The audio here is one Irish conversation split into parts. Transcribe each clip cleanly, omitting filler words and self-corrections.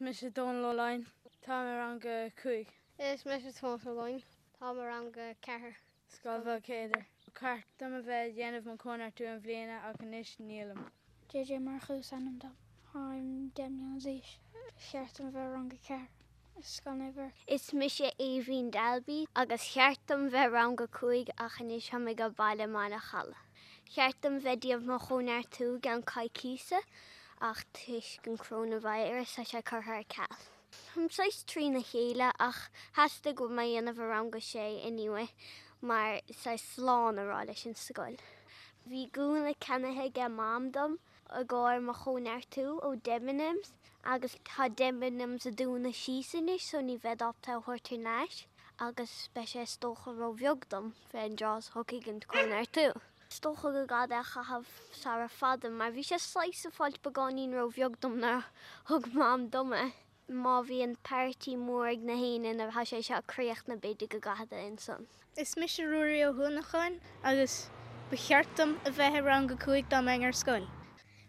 Mise Dónal Ó Laighin. Táim i rang a 5. Is mise Tomás Ó Laighin. Táim i rang a 4. Scoil Bhéal Céadair. Ba cheart dom a bheith ag déanamh mo chóineartú i mbliana ach anois nílim. JJ Murchú is ainm dom. Táim 10 mbliana d'aois. Ba cheart dom a bheith i rang a 4 i Scoil Naomh Eirc. Is mise Aoibhín Dalby agus cheart dom bheith rang a 5 ach anois táim ag baile i mBaile Challa. Cheart dom bheith déanamh mo chóineartú i gceann coicíosa ach toisc an coronavirus tá sé curtha ar ceal. Táim saghas trína chéile ach theastaigh go bhfuil mé a dhéanamh i rang a sé anyway mar saghas slán a rá leis an scoil. Bhí gúna ceannaithe aige Mam dom i gcomhair mo chóineartú ó Debenhams agus tá Debenhams ag dúnadh síos anois so ní bhead ábalta é a thabhairt thar n-ais agus beidh sé is dócha ró bheag dom fé an dtráth is thiocfaidh an cóineartú. Is dócha go gcaithfead é a chaitheamh sara fada mar bhí sé saghas ag fáilt beagáinín ró-bheag dom nuair a thug Mam dom é. Má bhíonn party mór ag na héinne nuair atá sé seo críochnaithe b'fhéidir go gcaithfead é ansan. Is mise Ruairí Ó hUanacháin agus ba cheart dom a bheith i rang a 5 dá mbeinn ar scoil.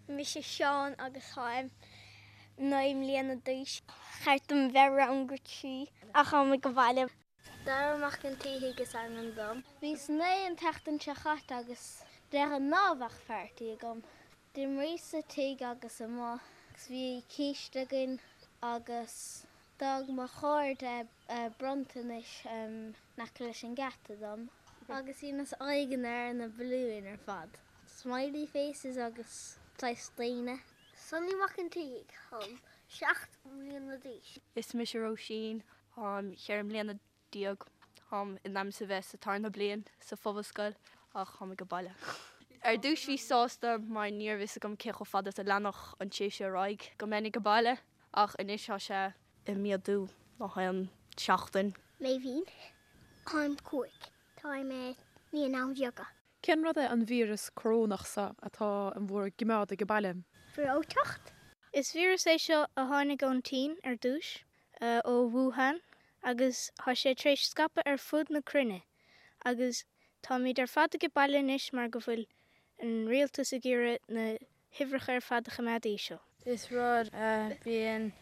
Mise Seán agus táim 9 mbliana d'aois. Cheart dom a bheith i rang a 3 ach táim ag baile. Dara Mac an tSíthigh is ainm dom. Bhíos 9 an tseachtain seo chaite agus de ghnáth bheadh party agam. D'imríos sa tigh agus amuigh agus bhí císte againn agus d'fhág mo chairde bronntanais in aice leis an geata dom. Agus bhí na aghaidheanna ar na balúin ar fad. Smiley faces agus saghas daoine. Sonny Mac an tSíthigh, táim 7 mbliana d'aois. Is mise Róisín, Táim 14 mbliana. Táim in ainm is a bheith sa tarna bliain sa phobalscoil ach táim ag baile. Ar dtús bhíos sásta mar ní raibh fhios agam cé chomh fada is a leanfadh an tséasúr ar aghaidh go mbeinn ag baile ach anois tá sé ag méadú gach aon seachtain. Méibhín, Táim 5. Táim i Naíonáin Bheaga. Cén rud é an víreas corónach seo atá in bhur gcimeád ag baile? Breoiteacht. Is víreas é seo a tháinig ón tSín ar dtús, ó Wuhan, agus tá sé tar éis scaipeadh ar fud na cruinne agus táimid ar fad ag baile anois mar go bhfuil an rialtas ag iarraidh na huimhreacha ar fad a choimeád íseal. Is rud a bhíonn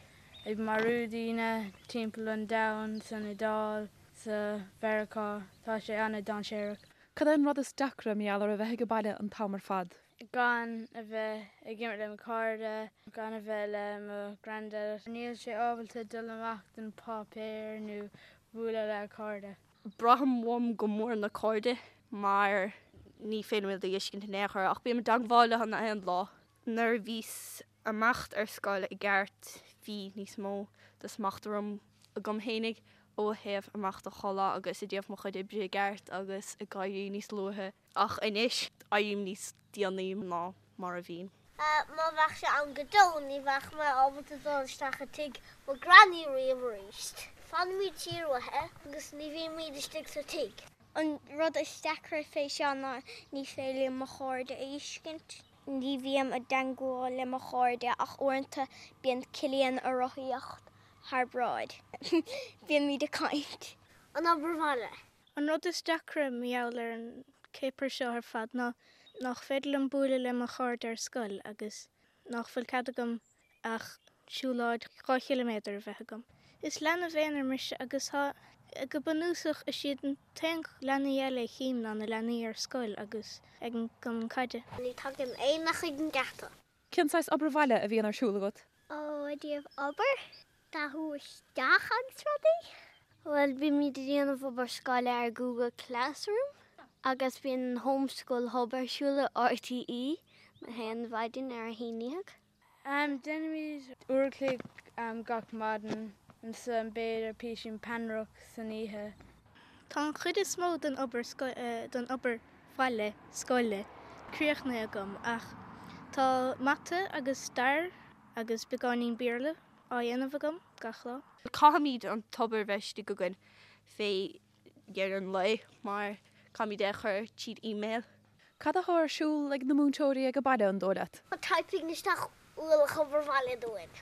ag marú daoine timpeall an domhain, san Iodáil, sa Mheiriceá. Tá sé an-dainséarach. Cad é an rud is deacra mar gheall ar a bheith ag baile an t-am ar fad? Gan a bheith ag imirt le mo chairde, gan a bheith le mo grandad. Níl sé ábalta dul amach don páipéar nó bualadh le cairde. Braithim uaim go mór na cairde mar ní féidir iad a fheiscint in aon chor ach bím i dteangmháil leo na haon lá. Nuair a bhíos imeacht ar scoil i gceart bhí níos mó de smacht orm agam fhéinig ó thaobh imeacht a chodladh agus ag déanamh mo chuid oibre i gceart agus ag éirí níos luaithe. Ach anois, éirím níos déanaí ná mar a bhínn. Má bheadh sé ann go deo ní bheadh mé ábalta dul isteach i tigh mo granny riamh arís. Fanaimid siar uaithi agus ní bhímid istigh sa tigh. An rud is deacra fé seo ná ní féidir liom mo chairde a fheiscint. Ní bhím i dteangmháil le mo chairde ach uaireanta bíonn Cillian ag rothaíocht thar bráid. Bímid ag caint. An obair bhaile. An rud is deacra mar gheall ar an céapar seo ar fad ná nach féidir liom bualadh le mo chairde ar scoil agus nach bhfuil cead agam ach siúlóid 2 chiliméadar a bheith agam. Is leanbh aonair mise agus tá, go bunúsach, is iad an t-aon leanaí eile a chím ná na leanaí ar scoil agus ag an gcumann caide. Ní tagann éinne chuig an geata. Cén saghas obair bhaile a bhíonn ar siúl agat? Ó, i dtaobh obair, dathú isteach agus rudaí. Bhuel, bímid ag déanamh obair scoile ar Google Classroom agus bíonn an Home School Hub ar siúl i RTÉ na haon mhaidin ar a haon dhéag. Déanaimid uair a chloig gach maidin, ansan b'fhéidir píosín peannaireacht san oíche. Tá an chuid is mó den obair den obair bhaile scoile críochnaithe agam ach tá mata agus stair agus beagáinín Béarla á dhéanamh agam gach lá. Caithfimid an t-obair a bheith istigh againn fé dheireadh an lae mar caithfimid é a chur tríd email. Cad atá ar siúl ag na múinteoirí ag baile, an dóigh leat? Typing isteach ualach obair bhaile dúinn.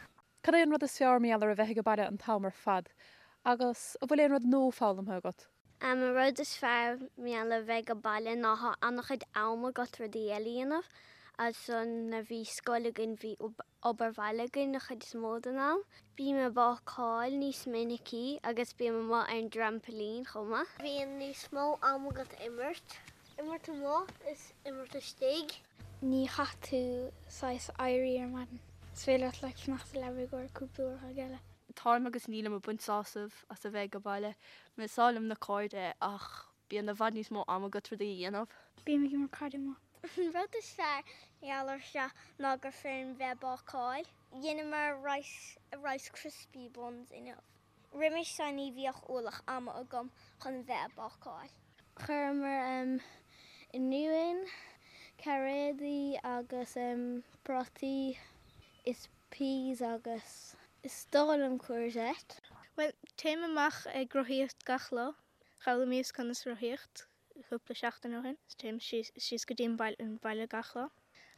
Cad é an rud is fearr mar gheall ar a bheith ag baile an t-am ar fad? Agus an bhfuil aon rud nua foghlamtha agat? An rud is fearr mar gheall ar bheith ag baile ná tá an-chuid am agat rudaí eile a dhéanamh. Ansan nuair bhí scoil againn bhí obair bhaile againn an chuid is mó den am. Bím ag bácáil níos minicí agus bím amuigh ar an dtrampailín chomh maith. Bíonn níos mó am agat imirt. Imirt amuigh is imirt istigh. Ní chaithfidh tú saghas éirí ar maidin. Is féidir leat like fanacht sa leaba i gcomhair cúpla uair a chloig eile. Táim agus nílim ag baint sásamh as a bheith ag baile. Is áil liom na cairde ach bíonn i bhfad níos mó am agat rudaí a dhéanamh. Bím ag imirt caide amuigh. An rud is fearr mar gheall ar seo ná gur féidir linn bheith ag bácáil. Dheineamar rice rice crispy buns inniu. Roimis seo ní bhíodh ualach ama agam chun bheith ag bácáil. Chuireamar oinniúin, cairéadaí agus prátaí is peas agus is dóigh liom courgette. Bhuel, téim amach ag rothaíocht gach lá. D'fhoghlaimíos conas rothaíocht cúpla seachtain ó shin. Téim síos go dtí an baile gach lá.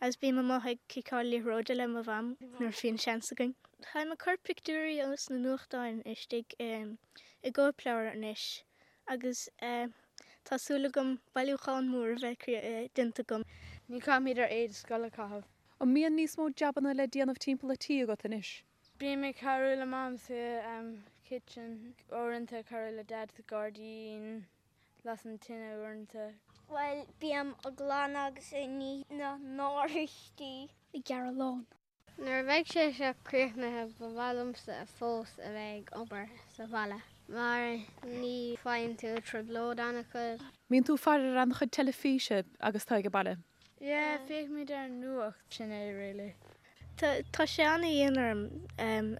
Agus bím amuigh ag ciceáil liathróide le mo mham nuair a bhíonn seans againn. Táim ag cur pictiúirí os na nuachtáin istigh i gcóipleabhar anois agus tá súil agam bailiúchán mór a bheith déanta agam. Ní chaithfimid ár éide scoile a chaitheamh. An mbíonn níos mó jabanna le déanamh timpeall a' tí agat anois? Bím ag cabhrú le Mam sa kitchen, uaireanta cabhrú le Dad sa gairdín, las an tine uaireanta. Bhuel, bím ag glanadh agus ag ní na n-oráistí. Ag gearradh lawn. Nuair a bheidh sé seo críochnaithe ba mhaith liomsa fós a bheith ag obair sa bhaile mar ní faigheann tú trioblóid an-chuid. Mbíonn tú ag faire ar an-chuid teilifíse agus tú ag baile? Yeah, féachaimid ar an nuacht, sin é really. Tá sé an-dhian orm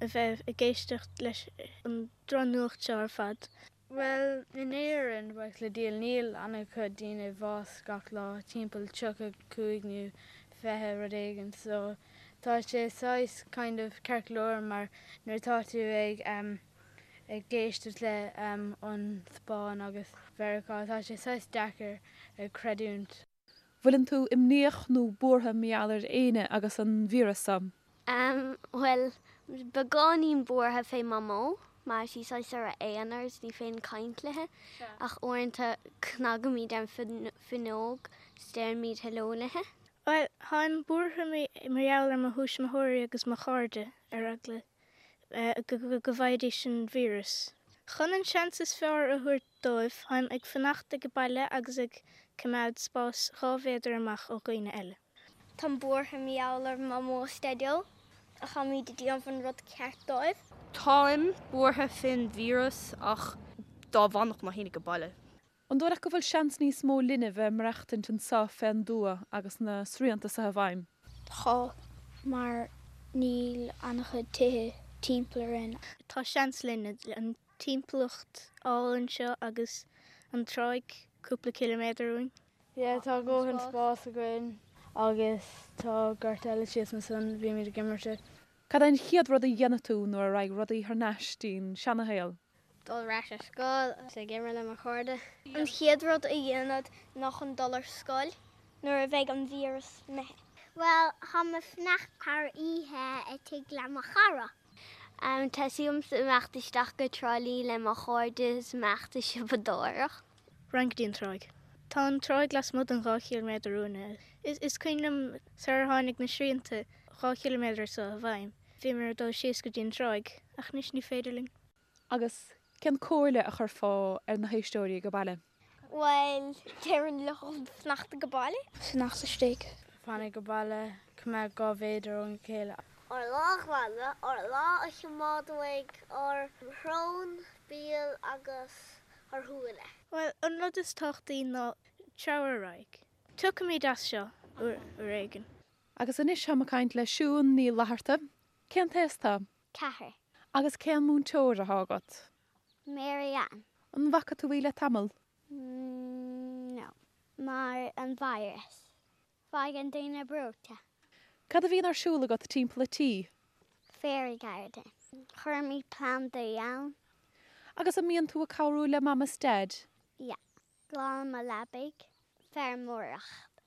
a bheith ag éisteacht leis an drochnuacht seo ar fad. Bhuel, in Éirinn, buíochas le Dia, níl an-chuid daoine i bhás gach lá, timpeall 35 nó 20 rud éigin, so tá sé saghas kind of ceart go leor mar nuair atá tú ag ag éisteacht le an Spáinn agus Mheiriceá, tá sé saghas deacair a chreidiúint. Bhfuileann tú imníoch nó buartha mar gheall ar éinne agus an víreas seo? Em, bhuel, beagáinín buartha fé Mamó, mar tá sí saghas ar a aonar is ní féidir caint léithe, ach uaireanta cnagaimid ar an fuinneog is deirimid hello léithe. Bhuel, táim buartha mar gheall ar mo thuismitheoirí agus mo chairde, ar eagla go bhfaighidís an víreas. Chun an seans is fearr a thabhairt dóibh, táim ag fanacht ag baile agus ag coimeád spás 2 mhéadar amach ó dhaoine eile. Táim buartha mar gheall ar Mamó is Daideo, ach táimid ag déanamh an rud ceart dóibh. Táim buartha fén víreas ach dá bhfanfadh na haoinne ag baile. An dóigh leat go bhfuil seans níos mó linne bheith maireachtaint anso fén dtuath agus na srianta so i bhfeidhm? Tá, mar níl an-chuid tithe timpeall orainn. Tá seans linn an timpeallacht álainn seo agus an tráigh cúpla ciliméadar uainn. Yeah, tá dóthain spás againn agus tá gort eile síos ansan, bímid ag imirt i. Cad é an chéad rud a dhéanfaidh tú nuair a raghaidh rudaí thar n-ais dtí'n seanashaol? Dul ar ais ar scoil agus ag imirt le mo chairde. An chéad rud a dhéanfad ná chun dul ar scoil nuair a bheidh an víreas imithe. Bhuel, táim ag fanacht thar oíche i tigh le mo chara. Tá súil agam imeacht isteach go Trá Lí le mo chairde is imeacht ag siopadóireacht. Raghainn go dtí an tráigh. Tá an tráigh lasmuigh den 2 chiliméadar uainne. Is cuimhin liom sar ar tháinig na srianta 2 chiliméadar seo i bhfeidhm, bhíomar ag dul síos go dtí an tráigh, ach anois ní féidir linn. Agus cén comhairle a chuirfeá ar na héisteoirí ag baile? Bhuel, déarfainn leo fanacht ag baile. Fanacht istigh. Fan ag baile, coimeád 2 mhéadar óna chéile. Ár lámha a ghlanadh, ár lámha a choimeád uaidh ár srón, béal agus ár shúile. Bhuel, an rud is tábhachtaí ná treabhadh ar aghaidh. Tiocfaimid as seo uair éigin. Agus anois táim ag caint le Siún Ní Fhlatharta. Cén t-aos tá? 4. Agus cén múinteoir athá agat? Mary Ann. An bhfaca tú í le tamall? No. Mar an virus. Faigheann daoine breoite. Cad a bhíonn ar siúl agat timpeall a tí? Fairy garden. Cuirimid plandaí ann. Agus an mbíonn tú ag cabhrú le Mam is Daid? Yeah. Glanaim mo leabaidh. Feirmeoireacht.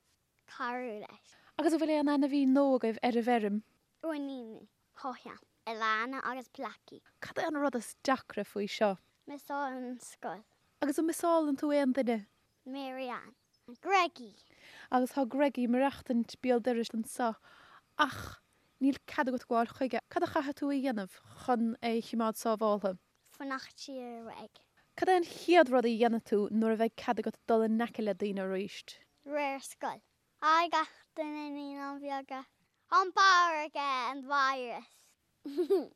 Cabhrú leis. Agus an bhfuil aon ainmhí nua agaibh ar an bhfeirm? Uainíní. Chothán. Alana agus Blackie. Cad é an rud is deacra faoi seo? Miseáil an scoil. Agus an miseálann tú aon duine? Mary Ann. Greggy. Agus tá Greggy ag maireachtaint béal dorais anseo ach níl cead agat gabháil chuige. Cad a chaithfidh tú a dhéanamh chun é a chimeád sábháltha? Fanacht siar uaidh. Cad é an chéad rud a dhéanfaidh tú nuair a bheidh cead agat dul in aice le daoine arís? Réir scoil. Haigh gach duine Naíonáin Bheaga. An b'fhearr aige an virus.